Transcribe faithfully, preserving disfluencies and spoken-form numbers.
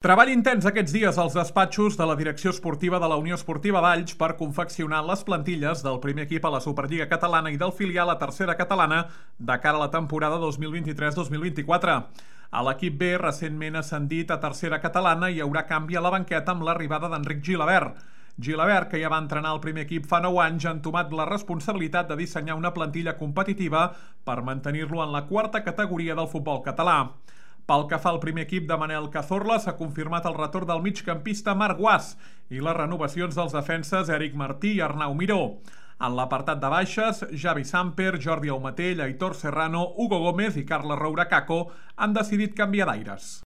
Treball intens aquests dies als despatxos de la direcció esportiva de la Unió Esportiva Valls per confeccionar les plantilles del primer equip a la Superliga Catalana i del filial a Tercera Catalana de cara a la temporada dos mil vint-i-tres dos mil vint-i-quatre. A l'equip B, recentment ascendit a Tercera Catalana, hi haurà canvi a la banqueta amb l'arribada d'Enric Gilabert. Gilabert, que ja va entrenar el primer equip fa nou anys, ha entomat la responsabilitat de dissenyar una plantilla competitiva per mantenir-lo en la quarta categoria del futbol català. Pel que fa al primer equip de Manel Cazorla, s'ha confirmat el retorn del migcampista Marc Guas i les renovacions dels defenses Eric Martí i Arnau Miró. En l'apartat de baixes, Javi Samper, Jordi Aumatell, Aitor Serrano, Hugo Gómez i Carles Roura Caco han decidit canviar d'aires.